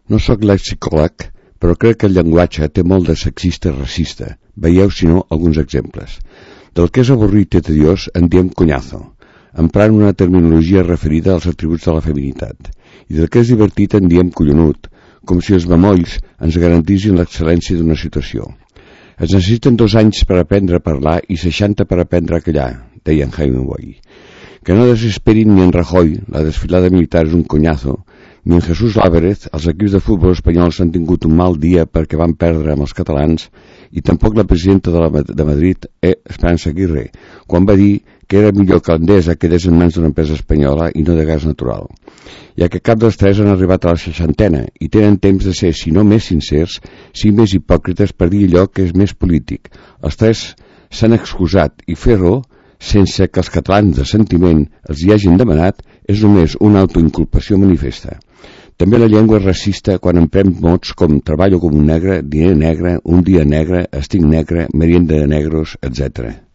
No sóc lexicòleg, però crec que el llenguatge té molt de sexista i racista. Veieu, si no, alguns exemples. Del que és avorrit i tediós en diem coñazo, emprant una terminologia referida als atributs de la feminitat. I del que és divertit en diem collonut, com si els bemolls ens garantissin l'excel·lència d'una situació. Es necessiten 2 anys per aprendre a parlar i 60 per aprendre a callar, deia en Hemingway. Que no desesperin ni en Rajoy, la desfilada militar és un coñazo, ni en Jesús Álvarez, els equips de futbol espanyols han tingut un mal dia perquè van perdre amb els catalans, i tampoc la presidenta de Madrid, Esperanza Aguirre, quan va dir que era millor que Endesa quedés en mans d'una empresa espanyola i no de gas natural, ja que cap dels 3 han arribat a la 60ena i tenen temps de ser, si no més sincers, si més hipòcrites per dir allò que és més polític. Els 3 s'han excusat i fer-ho sense que els catalans de sentiment els hi hagin demanat és només una autoinculpació manifesta. També la llengua és racista quan emprem mots com treballo com un negre, diner negre, un dia negre, estic negre, merienda de negros, etc.